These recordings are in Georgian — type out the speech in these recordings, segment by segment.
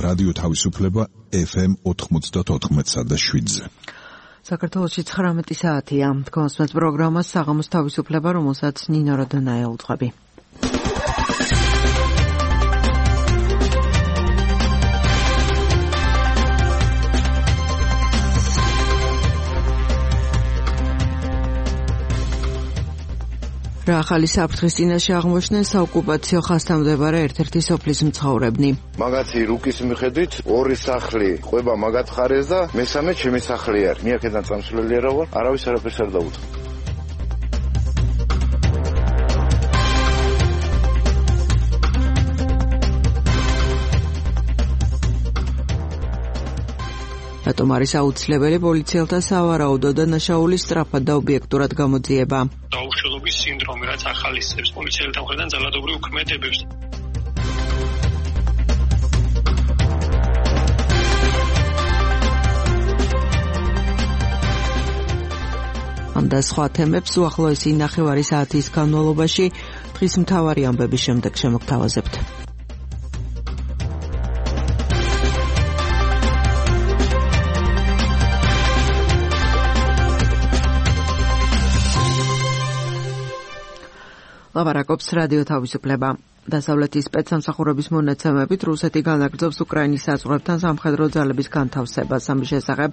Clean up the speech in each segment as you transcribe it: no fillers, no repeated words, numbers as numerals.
რადიო თავისუფლება FM 94.7-ზე. საქართველოში 19 საათია. თქვენს პროგრამას საღამოს თავისუფლება, რომელსაც ნინო როდონაია უძღვები. რა ახალი საფრთხის წინაშე აღმოჩნდნენ საოკუპაციო ხაზთან მდებარე ერთ-ერთი სოფლის მცხოვრებნი. მაგათი რუკის მიხედვით ორი სახლი ყვება მაგათ ხარეს და მესამე ჩემი სახლი არის. მე აქედან წამსვლელი არა ვარ, არავის არაფერს არ დაუთხა. რატომ არის აუცილებელი პოლიციელთა სავარაუდო დანაშაულის სწრაფად და ობიექტურად გამოძიება? დაუშვებობის სინდრომი, რაც ახალისებს პოლიციელთა მხრიდან ძალადობრივ ქმედებებს. ამ და სხვა თემებს უახლოესი ნახევარი საათის განმავლობაში დღის მთავარი ამბების შემდეგ შემოგთავაზებთ. ლაპარაკობს რადიო თავისუფლება. დასავლეთის სპეცსამსახურების მონაცემებით რუსეთი განაგრძობს უკრაინის საზღვრებთან სამხედრო ძალების განთავსებას. ამის შესახებ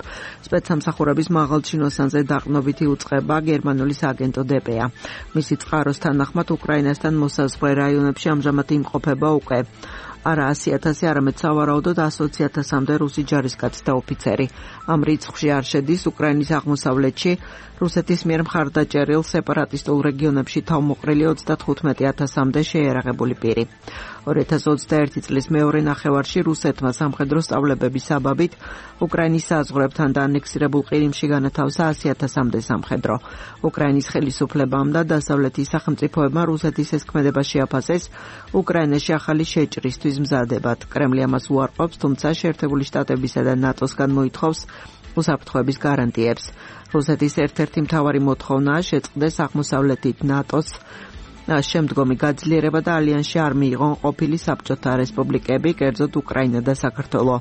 სპეცსამსახურების მაღალჩინოსანზე დაყრდნობითი უწყება გერმანული სააგენტო დპ-ა. მისი წყაროს თანახმად უკრაინასთან მოსაზღვრე რაიონებში ამჟამად იმყოფება უკვე არა 100,000, არამედ სავარაუდოდ 120,000-მდე რუსი ჯარისკაცი და ოფიცერი. ამ რიცხვში არ შედის უკრაინის აღმოსავლეთში რუსეთის მიერ მხარდაჭერილ სეპარატისტულ რეგიონებში თავმოყრილი 35,000-მდე შეიარაღებული პირი. 2021 წლის მეორე ნახევარში რუსეთმა სამხედრო სწავლებების საბაბით უკრაინის საზღვრებთან და ანექსირებულ ყირიმში განათავსა 100,000-მდე სამხედრო. უკრაინის ხელისუფლებამ და დასავლეთის სახელმწიფოებმა რუსეთის ეს ქმედება შეაფასეს უკრაინაში ახალი შეჭრისთვის მზადებად. კრემლი ამას უარყოფს, თუმცა შეერთებული შტატებისა და ნატოსგან მოითხოვს უსაფრთხოების გარანტიებს. რუსეთის ერთ-ერთი მთავარი მოთხოვნაა შეწყდეს აღმოსავლეთით ნატოს შემდგომი გაძლიერება და ალიანსში არ მიიღონ ყოფილი საბჭოთა რესპუბლიკები, კერძოდ უკრაინა და საქართველო.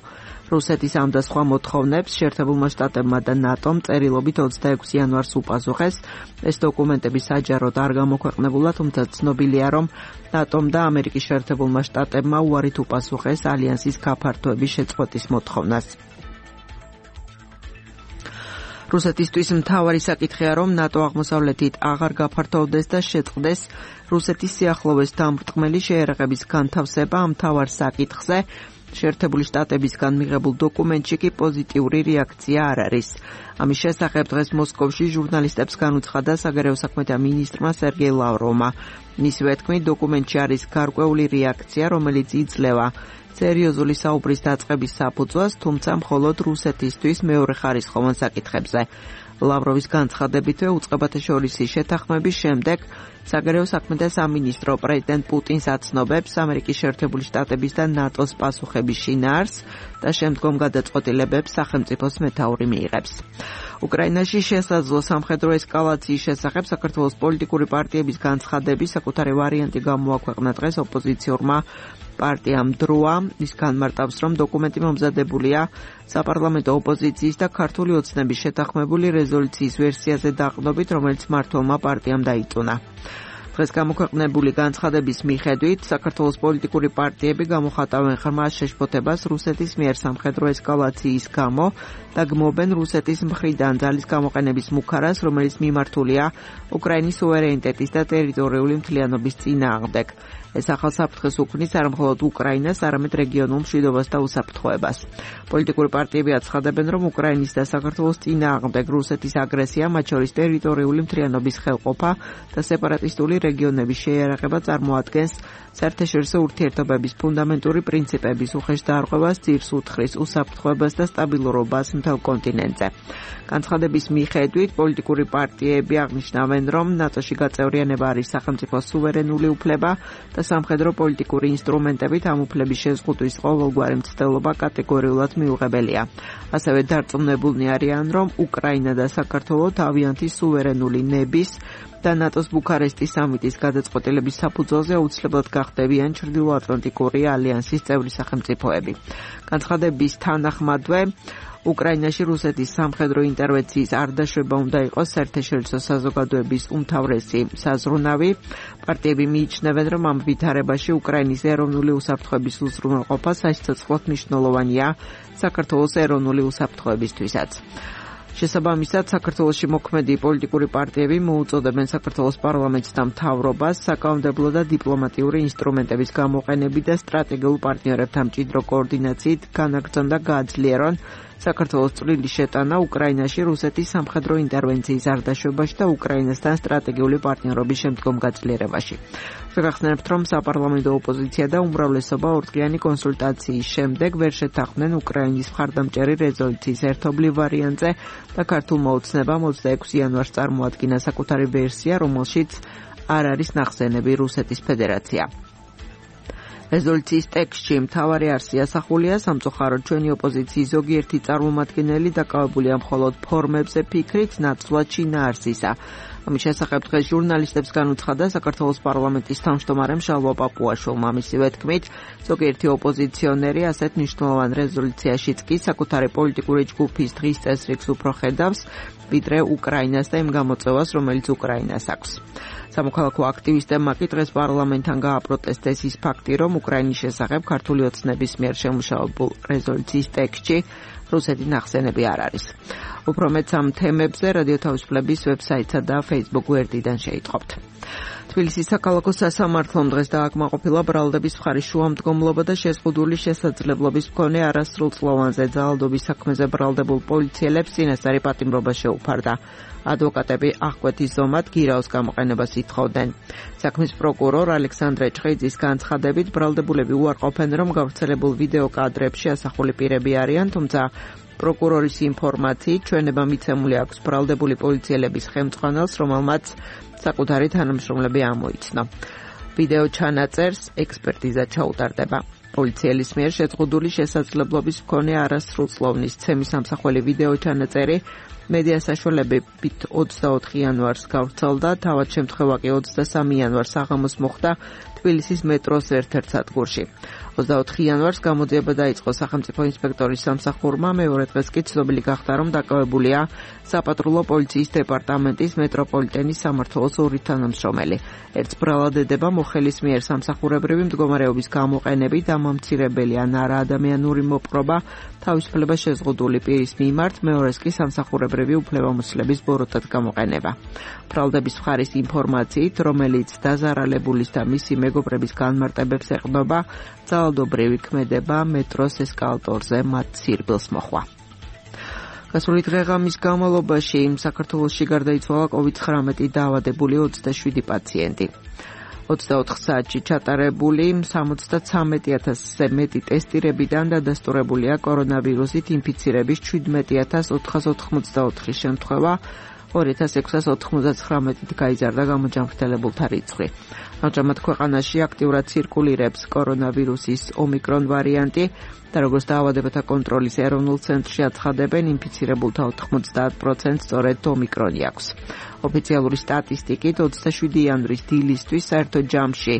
რუსეთის ამ და სხვა მოთხოვნებს შეერთებულმა შტატებმა და ნატომ წერილობით 26 იანვარს უპასუხეს. ეს დოკუმენტები საჯაროდ არ გამოქვეყნებულა, თუმცა ცნობილია, რომ ნატომ და ამერიკის შეერთებულმა შტატებმა უარით უპასუხეს ალიანსის გაფართოების შეწყვეტის მოთხოვნას. რუსეთისთვის მთავარი საკითხია, რომ ნატო აღმოსავლეთით აღარ გაფართოვდეს და შეწყდეს რუსეთის სიახლოვეს დამრტყმელი შეიარაღების განთავსება. ამ მთავარ საკითხზე შეერთებული შტატებისგან მიღებულ დოკუმენტში კი პოზიტიური რეაქცია არ არის. ამის შესახებ დღეს მოსკოვში ჟურნალისტებს განუცხადა საგარეო საქმეთა მინისტრმა სერგეი ლავროვმა. მისივე თქმით, დოკუმენტში არის გარკვეული რეაქცია, რომელიც იძლევა სერიოზული საუბრის დაწყების საფუძვლას, თუმცა მხოლოდ რუსეთისთვის მეორეხარისხოვან საკითხებზე. ლავროვის განცხადებითვე უწყებათა შორისი შეთანხმების შემდეგ საგარეო საქმეთა სამინისტრო პრეზიდენტ პუტინს აცნობებს ამერიკის შეერთებული შტატების და ნატოს პასუხების შინაარსს და შემდგომ გადაწყვეტილებებს სახელმწიფოს მეთაური მიიღებს. უკრაინაში შესაძლო სამხედრო ესკალაციის შესახებ საქართველოს პოლიტიკური პარტიების განცხადების საკუთარი ვარიანტი გამოაქვეყნა დღეს ოპოზიციურმა პარტიამ დროა. ის განმარტავს, რომ დოკუმენტი მომზადებულია საპარლამენტო ოპოზიციის და ქართული ოცნების შეთანხმებული რეზოლუციის ვერსიაზე დაყრდნობით, რომელიც მმართველმა პარტიამ დაიწუნა. დღეს გამოქვეყნებული განცხადების მიხედვით საქართველოს პოლიტიკური პარტიები გამოხატავენ ხმას შეშფოთებას რუსეთის მიერ სამხედრო ესკალაციის გამო და გმობენ რუსეთის მხრიდან ძალის გამოყენების მუქარას, რომელიც მიმართულია უკრაინის სუვერენიტეტის და ტერიტორიული მთლიანობის წინააღმდეგ. ეს ახალ საფრთხეს უქმნის არა მხოლოდ უკრაინას, არამედ რეგიონულ მშვიდობას და უსაფრთხოებას. პოლიტიკური პარტიები აცხადებენ, რომ უკრაინის და საქართველოს წინააღმდეგ რუსეთის აგრესია, მათ შორის ტერიტორიული მთლიანობის ხელყოფა და სეპარატისტული რეგიონების შეიარაღება წარმოადგენს საერთაშორისო ურთიერთობების ფუნდამენტური პრინციპების უხეშ დარღვევას, ძირს უთხრის უსაფრთხოებას და სტაბილურობას მთელ კონტინენტზე. განცხადების მიხედვით პოლიტიკური პარტიები აღნიშნავენ, რომ ნატოში გაწევრიანება არის სახელმწიფოს სუვერენული უფლება და სამხედრო პოლიტიკური ინსტრუმენტებით ამ უფლების შეზღუდვის ყოველგვარი მცდელობა კატეგორიულად მიუღებელია. ასევე დარწმუნებულნი არიან, რომ უკრაინა და საქართველო თავიანთი სუვერენული ნების და ნატოს ბუქარესტის სამიტის გადაწყვეტილების საფუძველზე აუცილებლად გახდებიან ჩრდილოატლანტიკური ალიანსის წევრი სახელმწიფოები. განცხადების თანახმადვე უკრაინაში რუსეთის სამხედრო ინტერვენციის არ დაშვება უნდა იყოს საერთაშორისო საზოგადოების უმთავრესი საზრუნავი. პარტიები მიიჩნევენ, რომ ამ ვითარებაში უკრაინის ეროვნული უსაფრთხოების უზრუნველყოფა სასიცოცხლოდ მნიშვნელოვანია საქართველოს ეროვნული უსაფრთხოებისთვისაც. შესაბამისად, საქართველოში მოქმედი პოლიტიკური პარტიები მოუწოდებენ საქართველოს პარლამენტს და მთავრობას საკანონმდებლო და დიპლომატიური ინსტრუმენტების გამოყენებით და სტრატეგიულ პარტნიორებთან მჭიდრო კოორდინაციით განაგრძონ და გააძლიერონ საქართველოს წვლილი შეტანა უკრაინაში რუსეთის სამხედრო ინტერვენციის არ დაშვებაში და უკრაინასთან სტრატეგიული პარტნიორობის შემდგომ გაძლიერებაში. შეგახსენებთ, რომ საპარლამენტო ოპოზიცია და უმრავლესობა ორდღიანი კონსულტაციის შემდეგ ვერ შეთანხმდნენ უკრაინის მხარდამჭერი რეზოლუციის ერთობლივ ვარიანტზე და ქართულმა ოცნებამ 26 იანვარს წარმოადგინა საკუთარი ვერსია, რომელშიც არ არის ნახსენები რუსეთის ფედერაცია. რეზოლუციის ტექსტში მთავარი არსი ასახულია, სამწუხაროდ ჩვენი ოპოზიციის ზოგიერთი წარმომადგენელი დაკავებულია მხოლოდ ფორმებზე ფიქრით, ნაცვლად შინაარსისა. ამის შესახებ დღეს ჟურნალისტებს განუცხადა საქართველოს პარლამენტის თავმჯდომარე მშალვა პაპუაშვილმა. მისივე თქმით, ზოგიერთი ოპოზიციონერი ასეთ მნიშვნელოვან რეზოლუციაშიც კი საკუთარი პოლიტიკური ჯგუფის დღის წესრიგს უფრო ხედავს, ვიდრე უკრაინას და იმ გამოწვევას, რომელიც უკრაინას აქვს. სამოქალაქო აქტივისტებმა კი დღეს პარლამენტთან გააპროტესტეს ის ფაქტი, რომ უკრაინის შესახებ ქართული ოცნების მიერ შემუშავებულ რეზოლუციის ტექსტში რუსეთი ნახსენები არ არის. უფრო მეტ ამ თემებზე რადიო თავისუფლების ვებსაიტსა და Facebook გვერდიდან შეიტყობთ. თბილისის საქალაქო სასამართლომ დღეს დააკმაყოფილა ბრალდების მხარის შუამდგომლობა და შეზღუდული შესაძლებლობის მქონე არასრულწლოვანზე ძალადობის საქმეზე ბრალდებულ პოლიციელებს წინასწარი პატიმრობა შეუფარდა. ადვოკატები აღკვეთის ზომად გირაოს გამოყენებას ითხოვდნენ. საქმის პროკურორ ალექსანდრე ჭყიძის განცხადებით, ბრალდებულები უარყოფენ, რომ გავრცელებულ ვიდეო კადრებში ასახული პირები არიან, თუმცა პროკურორის ინფორმაციით ჩვენება მიცემული აქვს ბრალდებული პოლიციელების ხელმძღვანელს, რომელმაც საკუთარი თანამშრომლები ამოიცნო. ვიდეო ჩანაწერს ექსპერტიზა ჩაუტარდება. პოლიციელის მიერ შეზღუდული შესაძლებლობის მქონე არასრულწლოვნის ცემის ამსახველი ვიდეო ჩანაწერი მედია საშუალებებით 24 იანვარს გავრცელდა, თავად შემთხვევა კი 23 იანვარს საღამოს მოხდა თბილისის მეტროს ერთ-ერთ სადგურში. 24 იანვარს გამოძიება დაიწყო სახელმწიფო ინსპექტორის სამსახურმა, მეორე დღეს კი ცნობილი გახდა, რომ დაკავებულია საპატრულო პოლიციის დეპარტამენტის მეტროპოლიტენის სამმართველოს ორი თანამშრომელი. ერთს ბრალადდება მოხელის მიერ სამსახურებრივი მდგომარეობის გამოყენებით, ამომცირებელი ან არაადამიანური მოპყრობა თავისუფლება შეზღუდული პირის მიმართ, მეორეს კი სამსახურებრივი უფლებამოსილების ბოროტად გამოყენება. ბრალდების მხარის ინფორმაციით, რომელიც დაზარალებულის და მისი მეგობრების განმარტებებს ეყრდნობა, ძალადობრივი ქმედება მეტროს ესკალატორზე მათ სირბილს მოხვა. გასული დღეღამის განმავლობაში საქართველოში გარდაიცვალა COVID-19 დაავადებული 27 პაციენტი. 24 საათში ჩატარებული 73,000-ზე მეტი ტესტირებიდან დადასტურებულია კორონავირუსით ინფიცირების 17,484 შემთხვევა, 2699-ით გაიზარდა გამოჯანმრთელებულთა რიცხვი. ამჟამად ქვეყანაში აქტიურად ცირკულირებს კორონავირუსის ომიკრონ ვარიანტი და როგორც დაავადებათა კონტროლის ეროვნულ ცენტრში აცხადებენ, ინფიცირებულთა 90% სწორედ ომიკრონი აქვს. ოფიციალური სტატისტიკით 27 იანვრის დილისთვის საერთო ჯამში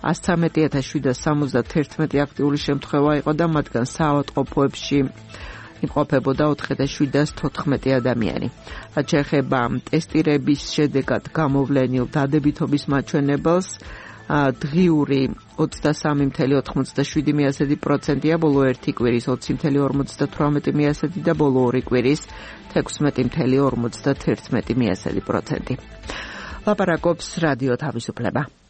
113,771 აქტიური შემთხვევა იყო და მათგან საავადმყოფოებში იმყოფებოდა 4,714 ადამიანი. რაც შეეხება ტესტირების შედეგად გამოვლენილ დადებითობის მაჩვენებელს, დღიური 23,97%-ია, ბოლო ერთი კვირის 20,58% და ბოლო ორი კვირის 16,51%. ლაპარაკობს რადიო თავისუფლება.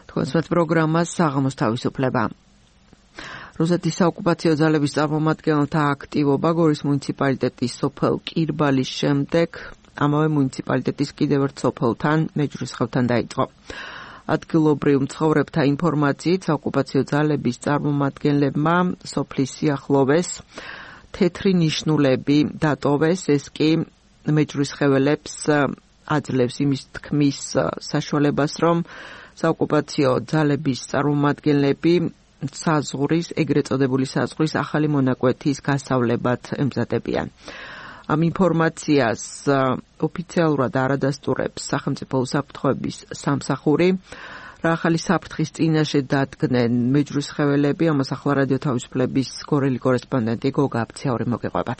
თქვენს პროგრამას საღამოს თავისუფლება. რუსეთის საოკუპაციო ძალების წარმომადგენელთა აქტივობა გორის მუნიციპალიტეტის სოფელ კირბალის შემდეგ ამავე მუნიციპალიტეტის კიდევ ერთ სოფელთან მეჯვრისხევთან დაიწყო. ადგილობრივ მცხოვრებთა ინფორმაციით საოკუპაციო ძალების წარმომადგენლებმა სოფლის სიახლოვეს თეთრი ნიშნულები დატოვეს, ეს კი მეჯვრისხეველებს აძლევს იმის თქმის საშუალებას, რომ საოკუპაციო ძალების წარმომადგენლები საზღვრის, ეგრეთ წოდებული საზღვრის ახალი მონაკვეთის გასავლებად ემზადებიან. ამ ინფორმაციას ოფიციალურად არ ადასტურებს სახელმწიფო უსაფრთხოების სამსახური. რა ახალი საფრთხის წინაშე დადგნენ მეჯვრისხეველები, ამას ახლა რადიო თავისუფლების გორელი კორესპონდენტი გოგა აფციური მოგეყვებათ.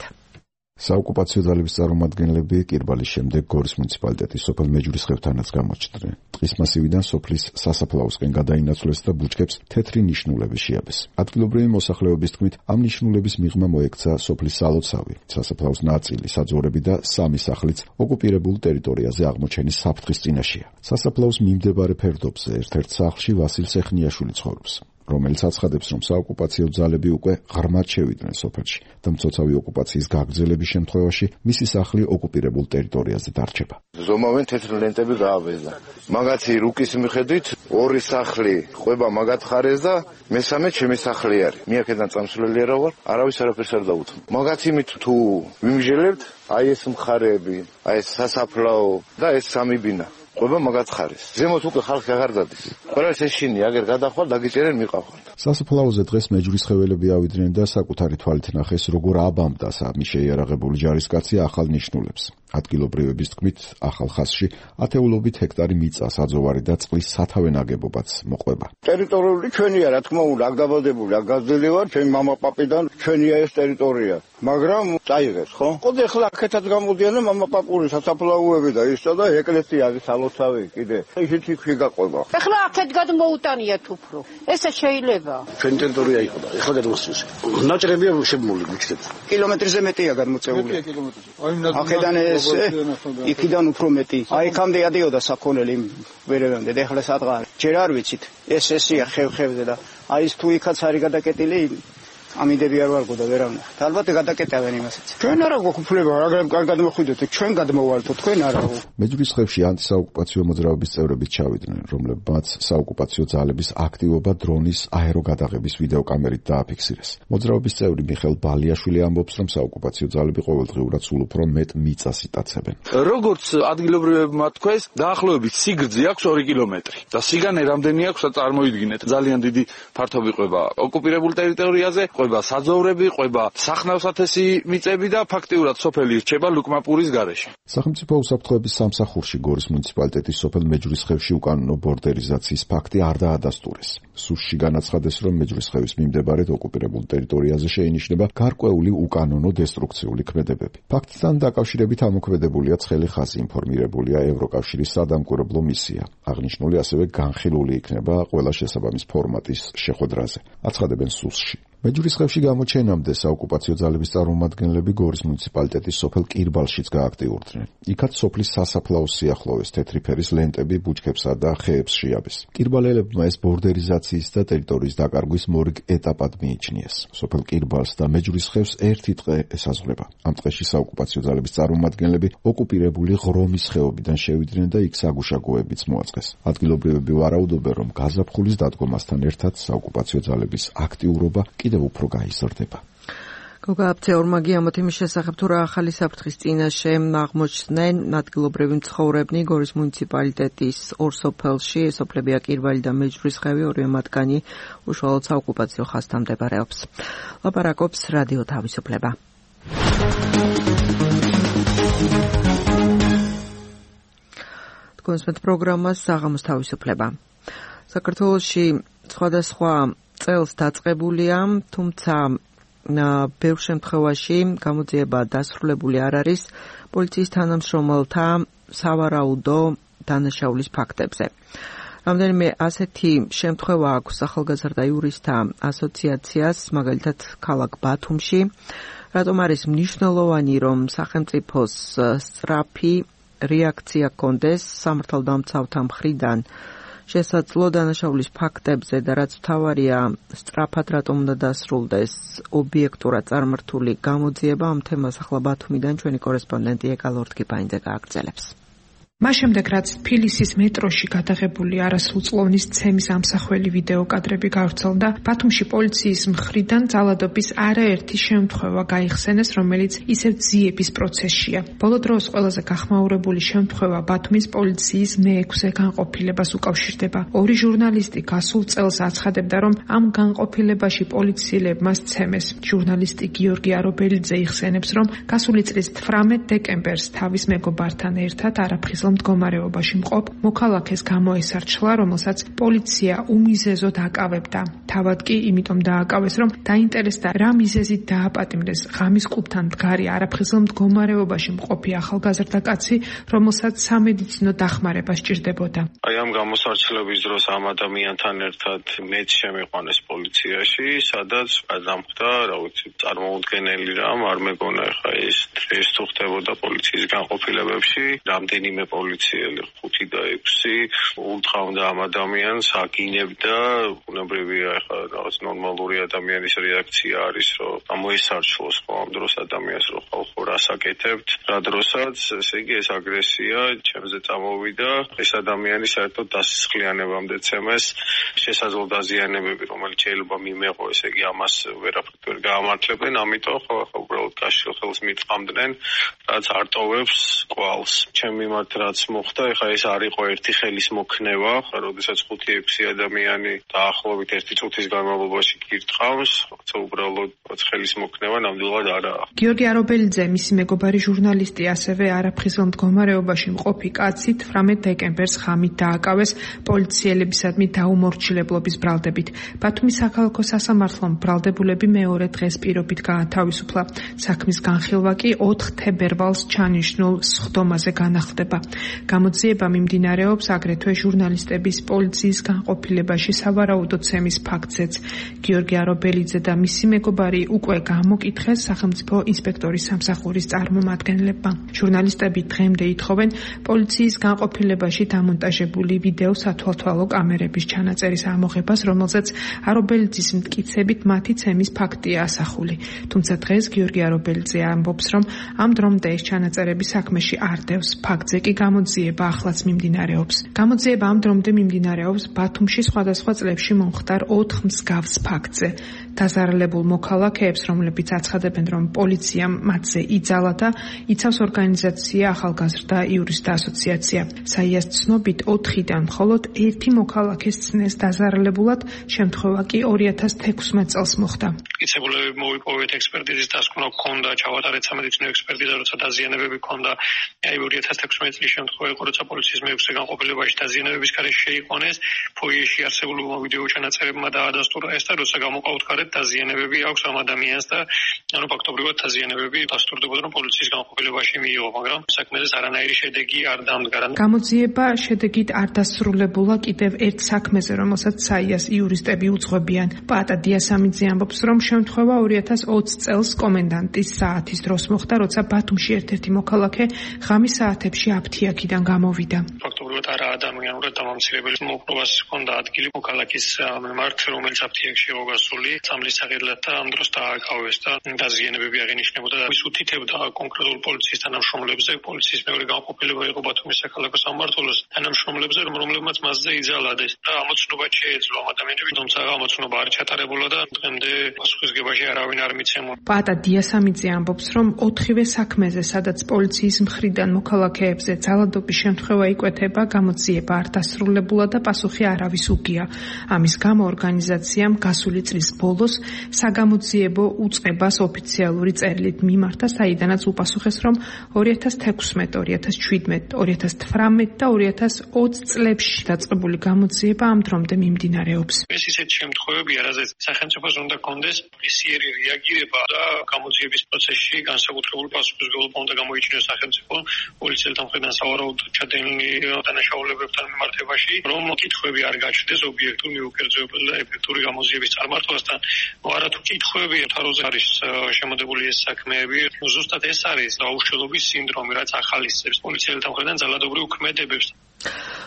საოკუპაციო ძალების წარმომადგენლები კირბალის შემდეგ გორის მუნიციპალიტეტის სოფელ მეჯვრისხევთანაც გამოჩნდნენ. ტყის მასივიდან სოფლის სასაფლაოსკენ გადაინაცვლეს და ბუჩქებს თეთრი ნიშნულები შეაბეს. ადგილობრივი მოსახლეობის თქმით, ამ ნიშნულების მიღმა მოექცა სოფლის სალოცავი, სასაფლაოს ნაწილი, საძოვრები და 3 სახლიც ოკუპირებულ ტერიტორიაზე აღმოჩენის საფრთხის წინაშეა. სასაფლაოს მიმდებარე ფერდობზე ერთ-ერთ სახლში ვასილ სეხნიაშვილი ცხოვრობს, რომელიც აცხადებს, რომ საოკუპაციო ძალები უკვე ღრმად შევიდნენ სოფელში და მცოცავი ოკუპაციის გაგრძელების შემთხვევაში მისი სახლი ოკუპირებულ ტერიტორიაზე დარჩება. ზომავენ თეთრი ლენტები გააბეზდა. მაგათი რუკის მიხედვით 2 სახლი ყვება მაგათ ხარეს და მესამე ჩემი სახლი არის. მე აქედან წამსვლელი არა ვარ, არავის არაფერს არ დაუთმო. მაგათ იმით თუ ვიმჟელებთ, აი ეს მხარეები, აი ეს სასაფლაო და ეს 3 ბინა ყვება მაგათ ხარეს. ზემოთ უკვე ხალხი აღარ დადის. ყველას ეშინი აგერ გადახვალ დაგიწერენ მიყავხართ. სასაფლაოზე დღეს მეჯვრისხეველები ავიდნენ და საკუთარი თვალით ნახეს, როგორ აბამდა სამი შეიარაღებული ჯარისკაცი ახალ ნიშნულებს. ადგილობრივების თქმით, ახალ ხაზში ათეულობით ჰექტარი მიწა, საძოვარი და წყლის სათავე ნაგებობაც მოყვება. ტერიტორიული ჩვენია, რა თქმა უნდა, აქ დაბადებული, აქ გაზრდილი ვარ, ჩემი მამა-პაპიდან ჩვენია ეს ტერიტორია. მაგრამ წაიღეს, ხო? ყოდე ახლა აქეთაც გამოდიან და მამა-პაპური სასაფლაოები და ისო და ეკლესია არის სალოცავი კიდე. ისიც იქ გაყვება. ახლა აქეთ გადმოუტანიათ უფრო. ესე შეიძლება. ჩვენი ტერიტორია იყო და ახლა გადმოსცეს. ნაჭრებია შემმული გუჩქებს. კილომეტრზე მეტია გადმოწეული. აქედან იქიდან უფრო მეტი. აი იქამდე ადიოდა საქონელი ვერევამდე და ახლა სადღაა. ჯერ არ ვიცით. ესია ხევზე და აი ეს თუ იქაც არის გადაკეტილი ამიდები არ ვარგო და ვერავნა. ალბათ გადაკეტავენ იმასაც. ჩვენ არა გვაქვს მაგრამ კარგად მოხვიდეთ, ჩვენ გადმოვალთო, თქვენ არა. მეჯვრისხევში ანტისაოკუპაციო მოძრაობის წევრებიც ჩავიდნენ, რომლებმაც საოკუპაციო ძალების აქტივობა დრონის აეროგადაღების ვიდეოკამერით დააფიქსირეს. მოძრაობის წევრი მიხელ ბალიაშვილი ამბობს, რომ საოკუპაციო ძალები ყოველდღიურად სულ უფრო მეტ მიწას იტაცებენ. როგორც ადგილობრივებმა თქვეს, დაახლოებით სიგრძე აქვს 2 კილომეტრი და სიგანე რამდენი აქვს წარმოიდგინეთ. ძალიან დიდი ფართობი ყვება ოკუპირებულ ტერიტორიაზე. ყვება საძოვრები, ყვება სახნავსათესი მიწები და ფაქტიურად სოფელი რჩება ლუკმაპურის გარეშე. სახელმწიფო უსაფრთხოების სამსახურში გორის მუნიციპალიტეტის სოფელ მეჯვრისხევში უკანონო ბორდერიზაციის ფაქტი არ დაადასტურეს. სუსში განაცხადეს, რომ მეჯვრისხევის მიმდებარედ ოკუპირებულ ტერიტორიაზე შეინიშნება გარკვეული უკანონო დესტრუქციული ქმედებები. ფაქტთან დაკავშირებით ამოქმედებულია ცხელი ხაზი, ინფორმირებულია ევროკავშირის სადამკვირვებლო მისია. აღნიშნული ასევე განხილული იქნება ყველა შესაბამის ფორმატის შეხვედრაზე. აცხადებენ სუსში. მეჯვრისხევში გამოჩენამდე საოკუპაციო ძალების წარმომადგენლები გორის მუნიციპალიტეტის სოფელ კირბალშიც გააქტიურდნენ. იქაც სოფლის სასაფლაოს სიახლოვეს თეთრი ფერის ლენტები ბუჩქებსა და ხეებს შეაბეს. კირბალელებმა ეს ბორდერიზაციის და ტერიტორიის დაკარგვის მორიგ ეტაპად მიიჩნიეს. სოფელ კირბალს და მეჯვრისხევს ერთი ტყე ესაზღვრება. ამ ტყეში საოკუპაციო ძალების წარმომადგენლები ოკუპირებული ღრომის ხეობიდან შევიდნენ და იქ საგუშაგოებიც მოაწყეს. ადგილობრივები ვარაუდობენ, რომ გაზაფხულის დადგომასთან ერთად საოკუპაციო ძალების აქტიურობა კიდევ უფრო გაიზრდება. გოგა აფცეურმა გიამოთ იმის შესახებ, თუ რა ახალი საფრთხის წინაშე აღმოჩნდნენ ადგილობრივი მცხოვრებნი გორის მუნიციპალიტეტის 2 სოფელში, სოფლებია კირბალი და მეჯვრისხევი, ორივე მათგანი უშუალოდ საოკუპაციო ხაზთან მდებარეობს. ლაპარაკობს რადიო თავისუფლება. თქვენს პროგრამას საღამოს თავისუფლება. საქართველოში სხვადასხვა წელს დაწყებულია, თუმცა ბევრ შემთხვევაში გამოძიება დასრულებული არ არის პოლიციის თანამშრომელთა სავარაუდო დანაშაულის ფაქტებზე. რამდენიმე ასეთი შემთხვევა აქვს ახალგაზრდა იურისტთა ასოციაციას, მაგალითად ქალაქ ბათუმში. რატომ არის მნიშვნელოვანი, რომ სახელმწიფოს სწრაფი რეაქცია ჰქონდეს სამართალდამცავთა მხრიდან შესაძლო დანაშაულის ფაქტებზე და რაც მთავარია, სწრაფად რატომ უნდა დასრულდეს ობიექტურად წარმართული გამოძიება, ამ თემას ახლა ბათუმიდან ჩვენი კორესპონდენტი ეკა ლორთგიფაინძე გააგრძელებს. მას შემდეგ რაც თბილისის მეტროში გადაღებული არასრულწლოვნის ცემის ამსახველი ვიდეო კადრები გავრცელდა, ბათუმში პოლიციის მხრიდან ძალადობის არაერთი შემთხვევა გაიხსენეს, რომელიც ისევ ძიების პროცესშია. ბოლო დროს ყველაზე გახმაურებული შემთხვევა ბათუმის პოლიციის მე-6 განყოფილებას უკავშირდება. ორი ჟურნალისტი გასულ წელს აცხადებდა, რომ ამ განყოფილებაში პოლიციელებმა სცემეს. ჟურნალისტი გიორგი არობელიძე იხსენებს, რომ გასული წლის 18 დეკემბერს თავის მეგობართან ერთად არაფხიზლ მდგომარეობაში მყოფ მოქალაქეს გამოესარჩლა, რომელსაც პოლიცია უმიზეზოდ აკავებდა. თავად კი იმიტომ დააკავეს, რომ დაინტერესდა რა მიზეზით დააპატიმრეს ღამის კლუბთან მდგარი არაფხიზლ მდგომარეობაში მყოფი ახალგაზრდა კაცი, რომელსაც სამედიცინო დახმარება სჭირდებოდა. აი ამ გამოსარჩლების დროს ამ ადამიანთან ერთად მეც შემიყვანეს პოლიციაში, სადაც გადამხდა, რა ვიცი, წარმოუდგენელი რამ, არ მეგონა ხა ეს თუ ხდებოდა პოლიციის განყოფილებებში, რამდენიმე პოლიციელი 5 და 6 უთხოვდა ამ ადამიანს, აგინებდა, უნებრივია ხა რაღაც ნორმალური ადამიანის რეაქცია არის, რომ გამოისარჩლოს ამ დროს ადამიანს, რომ ხალხო რას აკეთებთ, რა დროსაც ესე იგი ეს აგრესია ჩემზე წამოვიდა, ეს ადამიანი საერთოდ დასისხლიანებამდე ცემეს, შესაძლო დაზიანებები, რომელიც შეიძლება მიმეღო, ესე იგი ამას ვერაფერ გაამართლებენ, ამიტომ ხო უბრალოდ გაშლილ ხელს მიწამდნენ, რაც არტოვებს კვალს. ჩემ მიმართ რაც მოხდა, ეხა ეს არ იყო ერთი ხელის მოქნევა, როდესაც 5-6 ადამიანი დაახლოებით 1 წუთის განმავლობაში გირტყავს, როცა უბრალოდ ხელის მოქნევა ნამდვილად არაა. გიორგი არობელიძე, მისი მეგობარი ჟურნალისტი, ასევე არაფხიზლ მდგომარეობაში მყოფი კაცი 18 დეკემბერს ღამით დააკავეს პოლიციელებისადმი დაუმორჩილებლობის ბრალდებით. ბათუმის საქალაქო სასამართლომ ბრალდებულები მეორე დღეს პირობით გაათავისუფლა. საქმის განხილვა კი 4 თებერვალს ჩანიშნულ სხდომაზე განახლდება. გამოძიება მიმდინარეობს აგრეთვე ჟურნალისტების პოლიციის განყოფილებაში სავარაუდო ცემის ფაქტზეც. გიორგი არობელიძე და მისი მეგობარი უკვე გამოკითხეს სახელმწიფო ინსპექტორის სამსახურის წარმომადგენლებმა. ჟურნალისტები დღემდე ითხოვენ პოლიციის განყოფილებაში დამონტაჟებული ვიდეო სათვალთვალო კამერების ჩანაწერის ამოღებას, რომელზეც არობელიძის მტკიცებით მათი ცემის ფაქტია ასახული. თუმცა დღეს გიორგი არობელიძე ამბობს, რომ ამ დრომდე ეს ჩანაწერები საქმეში არ დევს. ფაქტზე კი გამოძიება ახლაც მიმდინარეობს. გამოძიება ამ დრომდე მიმდინარეობს ბათუმში სხვადასხვა წლებში მომხდარ 4 მსგავს ფაქტზე. დაზარალებულ მოქალაქეებს, რომლებიც აცხადებენ, რომ პოლიციამ მათზე იძალა და იცავს ორგანიზაცია ახალგაზრდა იურისტთა ასოციაცია. საიას ცნობით 4-დან მხოლოდ 1 მოქალაქეს ცნეს დაზარალებულად, შემთხვევა კი 2016 წელს მოხდა. მტკიცებულები მოვიპოვეთ ექსპერტიზის დასკვნა ჰქონდა, ჩავატარეთ სამედიცინო ექსპერტიზა, როცა დაზიანებები ჰქონდა. აი 2016 წლის შემთხვევა იყო, როცა პოლიციის მე-6 განყოფილებაში დაზიანებების გარეშე შეიყვანეს, ფოიეში არსებულმა ვიდეო ჩანაწერებმა დაადასტურა ეს და როცა გამოკავთქარეთ დაზიანებები აქვს ამ ადამიანს და ანუ ფაქტობრივად დაზიანებები დასტურდებოდა, რომ პოლიციის განყოფილებაში მიიღო, მაგრამ საქმეზე არანაირი შედეგი არ დამდგა. გამოძიება შედეგით არ დასრულებულა კიდევ ერთ საქმეზე, რომელსაც საიას იურისტები უძღვებიან. პაატა დიასამიძე ამბობს, რომ შემთხვევა 2020 წელს კომენდანტის საათის დროს მოხდა, როცა ბათუმში ერთ-ერთი მოქალაქე ღამის საათებში აფთიაქიდან გამოვიდა. ფაქტობრივად არა ადამიანურად დამამცირებელი მოპოვას ჰქონდა ადგილი მოქალაქის მიმართ, რომელიც აფთიაქში იყო გასული, წამლის საყიდლად და ამ დროს დააკავეს და დაზიანებები აღინიშნებოდა. ის უთითებდა კონკრეტულ პოლიციის თანამშრომლებზე, პოლიციის მეორე განყოფილება იყო ბათუმის საქალაქო სამმართველოს თანამშრომლებზე, რომლებმაც მასზე იძალადეს და ამოცნობა შეეძლო ამ ადამიანები, თუმცა ამოცნობა არ ჩატარებულა და დღემდე პასუხისგებაში არავინ არ მიცემულა. პაატა დიასამიძე ამბობს, რომ 4-ვე საქმეზე, სადაც პოლიციის მხრიდან მოქალაქეებზე ძალადობის შემთხვევა იკვეთება, გამოძიება არ დასრულებულა და პასუხი არავის უგია. ამის გამო ორგანიზაციამ გასული წლის ბოლოს საგამოძიებო უწყებას ოფიციალური წერილით მიმართა, საიდანაც უპასუხეს, რომ 2016, 2017, 2018 და 2020 წლებში დაწყებული გამოძიება ამ დრომდე მიმდინარეობს. ეს ისეთი შემთხვევებია, რაზეც სახელმწიფოს უნდა კონდეს ისიერი რეაგირება და გამოძიების პროცესში განსაკუთრებული პასუხისმგებლობა უნდა გამოიჩინოს სახელმწიფო პოლიციელთა მხრიდან სავარაუდო ჩადენილი დანაშაულებებთან მიმართებაში, რომ კითხვები არ გაჩნდეს ობიექტურ, მიუკერძოებელ და ეფექტური გამოძიების წარმართვასთან. არათუ კითხვები თაროზე არის შემოდებული ეს საქმეები, ზუსტად ეს არის დაუშველობის სინდრომი, რაც ახალისებს პოლიციელთა მხრიდან ძალადობრივ ქმედებებს.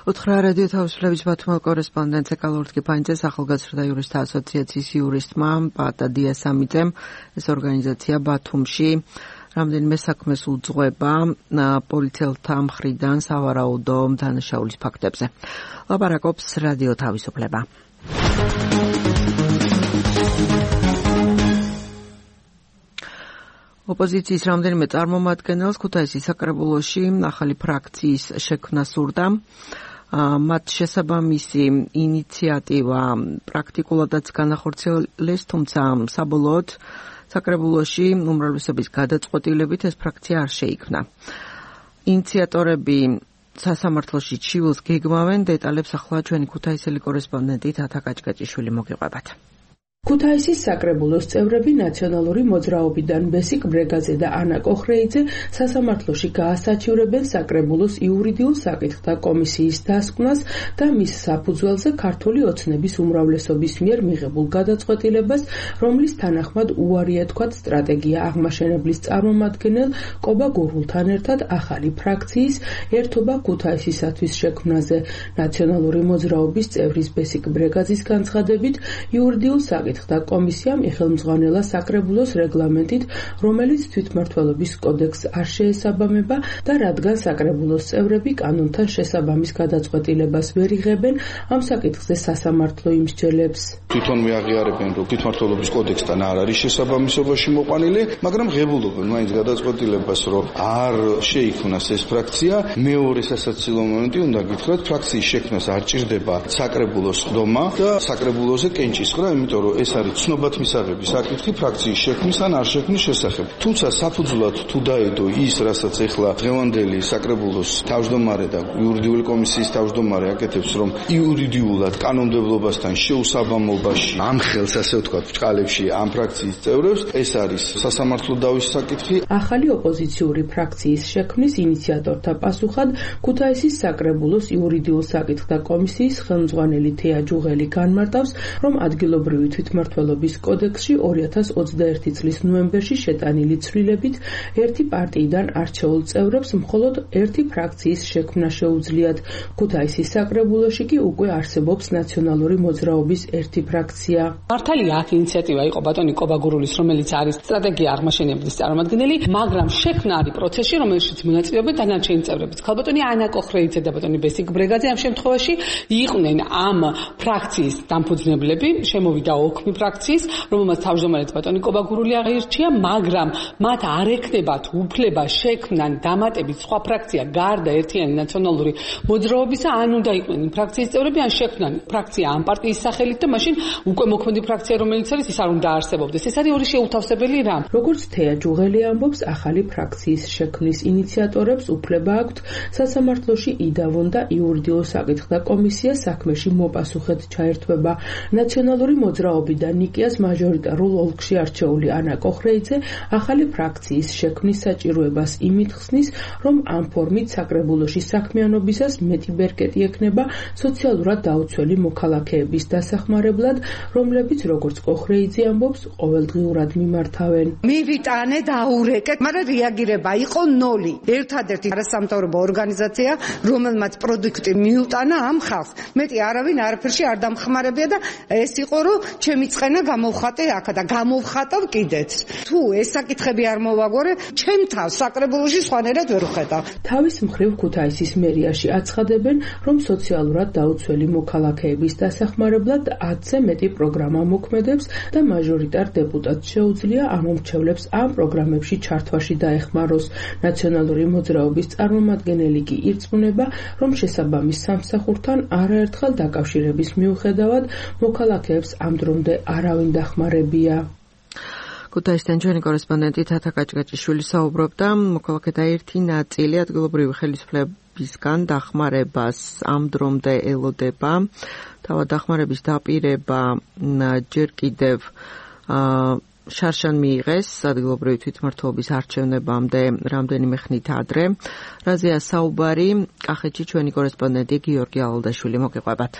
უთხრა რადიო თავისუფლების ბათუმელ კორესპონდენტზე კალორტკიფანიძეს ახალგაზრდა იურისტთა ასოციაციის იურისტმა პაატა დიასამიძემ ეს ორგანიზაცია ბათუმში რამდენიმე საქმეს უძღვება პოლიციელთა მხრიდან სავარაუდო დანაშაულის ფაქტებზე. ლაპარაკობს რადიო თავისუფლება. ოპოზიციის რამდენიმე წარმომადგენელს ქუთაისის საკრებულოში ახალი ფრაქციის შექმნა სურდა. მათ შესაბამისი ინიციატივა პრაქტიკულადაც განახორციელეს, თუმცა საბოლოოდ საკრებულოში უმრავლესობის გადაწყვეტილებით ეს ფრაქცია არ შეიქმნა. ინიციატორები სასამართლოში ჩივილს გეგმავენ, დეტალებს ახლა ჩვენი ქუთაისელი კორესპონდენტი თათა კაჭკაჭიშვილი მოგიყვებათ. ქუთაისის საკრებულოს წევრები ნაციონალური მოძრაობიდან ბესიკ ბრეგაძე და ანა კოხრეიძე სასამართლოში გაასაჩივრებენ საკრებულოს იურიდიულ საკითხთა კომისიის დასკვნას და მის საფუძველზე ქართული ოცნების უმრავლესობის მიერ მიღებულ გადაწყვეტილებას, რომლის თანახმად უარი ეთქვათ სტრატეგია აღმაშენებლის წარმომადგენელ კობა გურულთან ერთად ახალი ფრაქციის ერთობა ქუთაისისათვის შექმნაზე. ნაციონალური მოძრაობის წევრის ბესიკ ბრეგაძის განცხადებით, იურიდიულ საკითხთა კომისიამ იხელმძღვანელა საკრებულოს რეგლამენტით, რომელიც თვითმმართველობის კოდექსს არ შეესაბამება და რადგან საკრებულოს წევრები კანონთან შესაბამის გადაწყვეტილებას ვერ იღებენ, ამ საკითხზე სასამართლო იმსჯელებს. თვითონ მიაღიარებენ, რომ თვითმმართველობის კოდექსთან არ არის შესაბამისობაში მოყვანილი, მაგრამ ღებულობენ მაინც გადაწყვეტილებას, რომ არ შეიქმნას ეს ფრაქცია. მეორე სასაცილო მომენტი უნდა გითხრათ, ფრაქციის შექმნას არ ჭირდება საკრებულოს ხდომა და საკრებულოზე კენჭისყრა, იმიტომ რომ ეს არის ცნობად მისაღები საკითხი ფრაქციის შექმნის ან არ შექმნის შესახებ. თუმცა საფუძვლად თუ დაედო ის, რასაც ეხლა დღევანდელი საკრებულოს თავმჯდომარე და იურიდიული კომისიის თავმჯდომარე აკეთებს, რომ იურიდიულად კანონმდებლობასთან შეუსაბამობაში ამ ხელს, ასე ვთქვათ, ბჭყალებში ამ ფრაქციის წევრებს, ეს არის სასამართლო დავის საკითხი. ახალი ოპოზიციური ფრაქციის შექმნის ინიციატორთა პასუხად ქუთაისის საკრებულოს იურიდიულ საკითხთა კომისიის ხელმძღვანელი თეა ჯუღელი განმარტავს, რომ ადგილობრივი თვითმმართველობის კოდექსში 2021 წლის ნოემბერში შეტანილი ცვლილებით ერთი პარტიიდან არჩეულ წევრებს მხოლოდ ერთი ფრაქციის შექმნა შეუძლიათ. ქუთაისის საკრებულოში კი უკვე არსებობს ნაციონალური მოძრაობის ერთი ფრაქცია. მართალია აქ ინიციატივა იყო ბატონი კობა გურულის, რომელიც არის სტრატეგია აღმაშენებლის წარმომადგენელი, მაგრამ შექმნა არის პროცესში, რომელშიც მონაწილეობენ დანარჩენი წევრებიც. ქალბატონი ანა კოხრეიძე და ბატონი ბესიკ ბრეგაძე ამ შემთხვევაში იყვნენ ამ ფრაქციის დამფუძნებლები, შემოვიდა ოქმი ფრაქციის, რომელმაც თავმჯდომარედ ბატონი კობა გურული აღირჩია, მაგრამ მათ არ ექნებათ უფლება შექმნან დამატებით სხვა ფრაქცია გარდა ერთიანი ნაციონალური მოძრაობისა, ან უნდა იყვნენ იმ ფრაქციის წევრები, ან შექმნან ფრაქცია ამ პარტიის სახელით და მაშინ უკვე მოქმედი ფრაქცია, რომელიც არის, ის არ უნდა არსებობდეს. ეს არის ორი შეუთავსებელი რამ. როგორც თეა ჯუღელი ამბობს, ახალი ფრაქციის შექმნის ინიციატორებს უფლება აქვთ სასამართლოში იდავონ და იურიდიულ საკითხთა კომისია საქმეში მოპასუხედ ჩაერთვება. ნაციონალური მოძრაობიდან ნიკიას მაჟორიტარულ ოლქში არჩეული ანა კოხრეიძე ახალი ფრაქციის შექმნის საჭიროებას იმით ხსნის, რომ ამ ფორმით საკრებულოში საქმიანობისას მეტი ბერკეტი ექნება სოციალურად დაუცველი მოქალაქეების დასახმარებლად, რომლებიც, როგორც კოხრეიძე ამბობს, ყოველდღიურად მიმართავენ. მივიტანე და აურეკეთ, მაგრამ რეაგირება იყო ნოლი. ერთადერთი არასამთავრობო ორგანიზაცია, რომელმაც პროდუქტი მიუტანა ამ ხალხს. მეტი არავინ არაფერში არ დამხმარებია და ეს იყო, რომ ჩემი წყენა გამოვხატე აქ და გამოვხატავ კიდეც. თუ ეს საკითხები არ მოვაგორე, ჩემ თავს საკრებულოში სხვანაირად ვერ ვხედავ. თავის მხრივ ქუთაისის მერიაში აცხადებენ, რომ სოციალურად დაუცველი მოქალაქეების დასახმარებლად 10-ზე მეტი პროგრამა მოქმედებს და მაჟორიტარ დეპუტატს შეუძლია ამომრჩევლებს ამ პროგრამებში ჩართვაში დაეხმაროს. ნაციონალური მოძრაობის წარმომადგენელი კი ირწმუნება, რომ შესაბამის სამსახურთან არაერთხელ დაკავშირების მიუხედავად მოქალაქეებს ამ დრომდე არავინ დახმარებია. ქუთაისთან ჩვენი კორესპონდენტი თათა კაჭკაჭიშვილი საუბრობდა, მოქალაქეთა ერთი ნაწილი ადგილობრივი ხელისუფლებისგან დახმარებას ამ დრომდე ელოდება. თავად დახმარების დაპირება ჯერ კიდევ შარშან მიიღეს ადგილობრივი თვითმმართველობის არჩევნებამდე რამდენიმე ხნით ადრე. რაზეა საუბარი, კახეთში ჩვენი კორესპონდენტი გიორგი ალალდაშვილი მოგიყვებათ.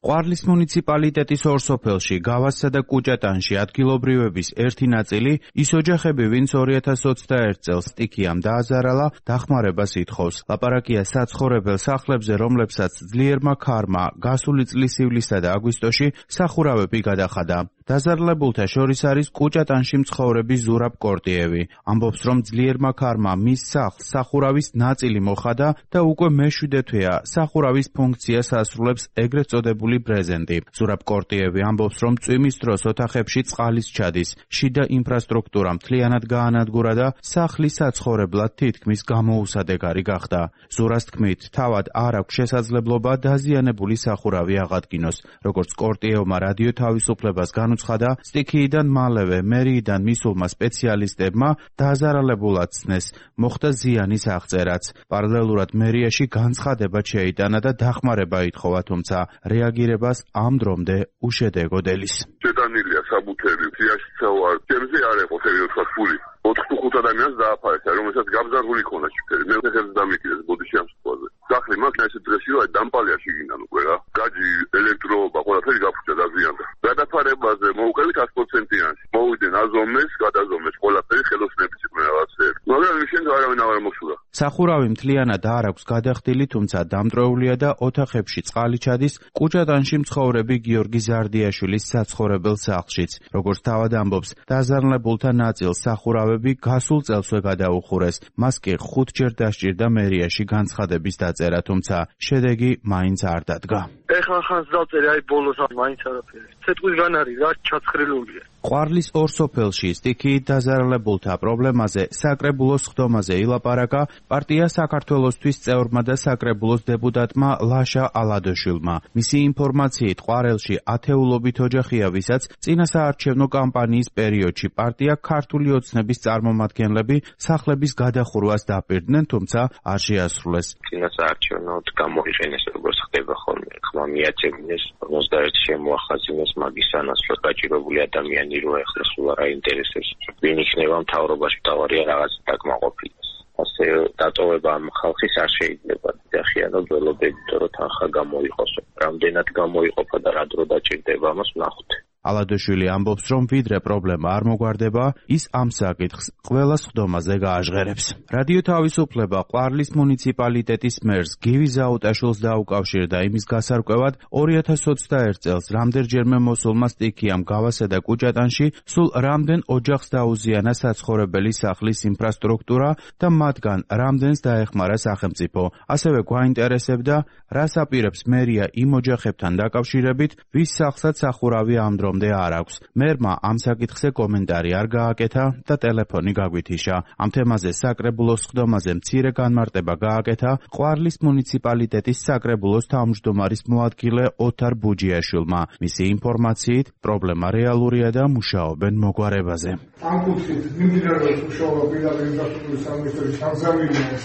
ყვარლის მუნიციპალიტეტის ორ სოფელში, გავასსა და კუჭატანში ადგილობრივების ერთი ნაწილი, ის ოჯახები, ვინც 2021 წელს სტიქიამ დააზარალა, დახმარებას ითხოვს. ლაპარაკია საცხოვრებელ სახლებზე, რომლებსაც ძლიერმა ქარმა გასული წლის ივლისსა და აგვისტოში სახურავები გადახადა. დაზარალებულთა შორის არის კუჭატანში მცხოვრები ზურაბ კორტიევი. ამბობს, რომ ძლიერმა ქარმა მის სახლს სახურავის ნაწილი მოხადა და უკვე მეშვიდე თვეა სახურავის ფუნქციას ასრულებს ეგრეთ წოდებული ბრეზენტი. ზურაბ კორტიევი ამბობს, რომ წვიმის დროს ოთახებში წყალის ჩადის, შიდა ინფრასტრუქტურა მთლიანად გაანადგურა და სახლი საცხოვრებლად თითქმის გამოუსადეგარი გახდა. ზურას თქმით, თავად არ აქვს შესაძლებლობა დაზიანებული სახურავი აღადგინოს. როგორც კორტიევმა რადიო თავისუფლებას განუცხადა, სტიქიიდან მალევე მერიიდან მისულმა სპეციალისტებმა დაზარალებულად ცნეს, მოხდა ზიანის აღწერაც. პარალელურად მერიაში განცხადება შეიტანა და დახმარება ითხოვა, თუმცა რეაგირებას ამ დრომდე უშედეგოდ ელის. შეტანილია საბუთები, სიაშიცავა, ჩემზე არ იყო სერიოზულად ფული. 4-5 ადამიანს დააფარეს, რომელსაც გაბზარგული ქონა შიფერი. მე ხერხს დამიკიდეს ბოდიში ამ სიტყვაზე. სახლი მას ესე დღეში რა დამპალია შიგნიდან უკვე რა. გაჯი, ელექტროობა, ყველაფერი გაფუჭდა დაზიანდა. გადაფარებაზე მოვუყევით 100%-იანში. მოვიდნენ აზომეს, გადაზომეს ყველაფერი ხელოსნების იყვნენ რაღაცეები. მაგრამ შენ არავინ აღარ მოსულა. სახურავი მთლიანად არ აქვს გადახდილი, თუმცა დამტრეულია და ოთახებში წყალი ჩადის კუჭატანში მცხოვრები გიორგი ზარდიაშვილის საცხოვრებელ სახლშიც. როგორც თავად ამბობს, დაზარალებულთა ნაწილს სახურავები გასულ წელსვე გადაუხურეს. მას კი 5 ჯერ დასჭირდა მერიაში განცხადების დაწერა, თუმცა შედეგი მაინც არ დადგა. ეხლა ხანს დავწერე, აი ბოლოს მაინც არაფერი. ცეკვისგან არის რა ჩაცხრილულია. ყვარლის ორ სოფელში სტიქიით დაზარალებულთა პრობლემაზე საკრებულოს ხდომაზე ილაპარაკა პარტია საქართველოსთვის წევრმა და საკრებულოს დეპუტატმა ლაშა ალადოშვილმა. მისი ინფორმაციით ყვარელში ათეულობით ოჯახია, ვისაც წინა საარჩევნო კამპანიის პერიოდში პარტია ქართული ოცნების წარმომადგენლები სახლების გადახურვას დაპირდნენ, თუმცა არ შეასრულეს. წინა საარჩევნოდ გამოიყენეს, როგორც ხდება ხოლმე, ხმა მიაწევინეს, 51 შემოახაზინეს მაგის სანაცვლოდ გაჭირებული ადამიანი რო ეხლა სულ არ აინტერესებს, ვინ იქნება მთავრობაში, თავარია რაღაც დაკმაყოფილდეს. ასე დატოვება ამ ხალხის არ შეიძლება. დახიანო ველობებით, რომ თანხა გამოიყოს. რამდენად გამოიყოფა და რა დრო დაჭირდება, ამას ვნახოთ. ალადოშვილი ამბობს, რომ ვიდრე პრობლემა არ მოგვარდება, ის ამ საკითხს ყველას ხდომაზე გააჟღერებს. რადიო თავისუფლება ყვარლის მუნიციპალიტეტის მერს გივი ზაუტაშვილს დაუკავშირდა იმის გასარკვევად 2021 წელს რამდენჯერმე მოსულმა სტიქიამ გავასა და კუჭატანში სულ რამდენ ოჯახს დაუზიანა საცხოვრებელი სახლის ინფრასტრუქტურა და მათგან რამდენს დაეხმარა სახელმწიფო. ასევე გვაინტერესებდა, რას აპირებს მერია იმ ოჯახებთან დაკავშირებით, ვის სახლსაც სახურავი ამ რომდე არ აქვს. მერმა ამ საკითხზე კომენტარი არ გააკეთა და ტელეფონი გაგვითიშა. ამ თემაზე საკრებულოს ხდომაზე მცირე განმარტება გააკეთა ყვარლის მუნიციპალიტეტის საკრებულოს თავმჯდომარის მოადგილე ოთარ ბუჯიაშვილმა. მისი ინფორმაციით, პრობლემა რეალურია და მუშაობენ მოგვარებაზე. ამ კუთხით მიმდინარეობს მუშაობა პირდაპირ ინფრასტრუქტურის სამინისტროს სამზავირიას.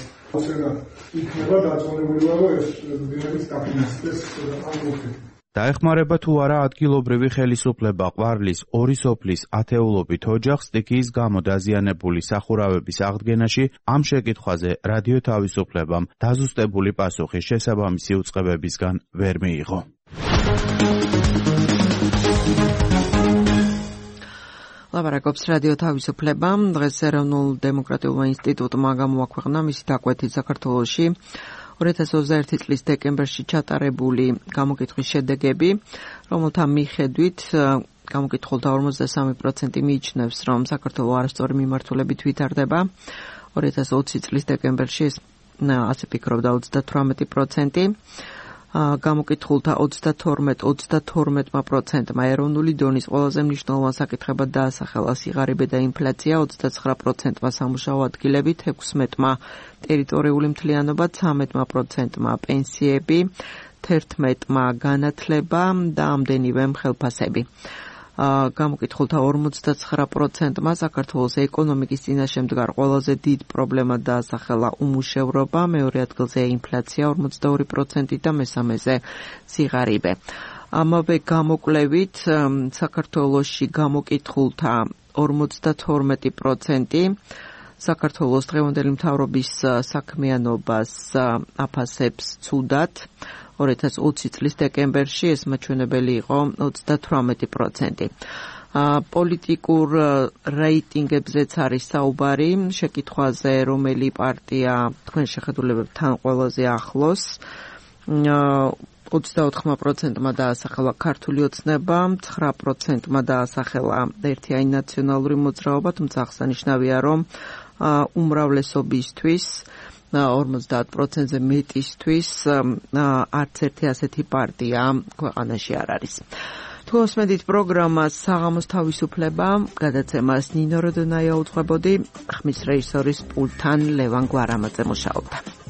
იქნება დაწონებული, რომ ეს ბინების დაფინანსდეს ამ კუთხით. დაეხმარება თუ არა ადგილობრივი ხელისუფლება ყვარლის ორი სოფლის ათეულობით ოჯახს სტიქიის გამო დაზიანებული სახურავების აღდგენაში, ამ შეკითხვაზე რადიო თავისუფლებამ დაზუსტებული პასუხი შესაბამისი უწყებებისგან ვერ მიიღო. ლაპარაკობს რადიო თავისუფლება. დღეს ეროვნულ დემოკრატიულმა ინსტიტუტმა გამოაქვეყნა მისი დაკვეთით საქართველოში 2021 წლის დეკემბერში ჩატარებული გამოკითხვის შედეგები, რომელთა მიხედვით გამოკითხულთა 53% მიიჩნევს, რომ საქართველო არასწორი მიმართულებით ვითარდება. 2020 წლის დეკემბერში ასე ფიქრობდა 38%. გამოკითხულთა 32%-მა ეროვნული დონის ყველაზე მნიშვნელოვან საკითხებად დაასახელა სიღარიბე და ინფლაცია, 29%-მა სამუშაო ადგილები, 16%-მა ტერიტორიული მთლიანობა, 13%-მა პენსიები, 11%-მა განათლება და ამდენივე ხელფასები. გამოკითხულთა 59%-მა საქართველოს ეკონომიკის წინაშე მდგარ ყველაზე დიდ პრობლემად დაასახელა უმუშევრობა, მეორე ადგილზე ინფლაცია 42% და მესამეზე სიღარიბე. ამავე გამოკვლევით საქართველოში გამოკითხულთა 52% საქართველოს დღევანდელი მთავრობის საქმიანობას აფასებს ცუდად. 2020 წლის დეკემბერში ეს მაჩვენებელი იყო 38%. პოლიტიკურ რეიტინგებზეც არის საუბარი, შეკითხვაზე რომელი პარტია თქვენ შეხედულებებთან ყველაზე ახლოს. 24%-მა დაასახელა ქართული ოცნება, 9%-მა დაასახელა ერთიანი ნაციონალური მოძრაობა, თუმცა აღსანიშნავია, რომ უმრავლესობისთვის 50%-ზე მეტისთვის არც ერთი ასეთი პარტია ქვეყანაში არ არის. თუ მოსმენთ პროგრამას საღამოს თავისუფლება, გადაცემას ნინო როდონაია უძღვებოდი, ხმის რეჟისორის პულტთან ლევან გვარამაძე მუშაობდა.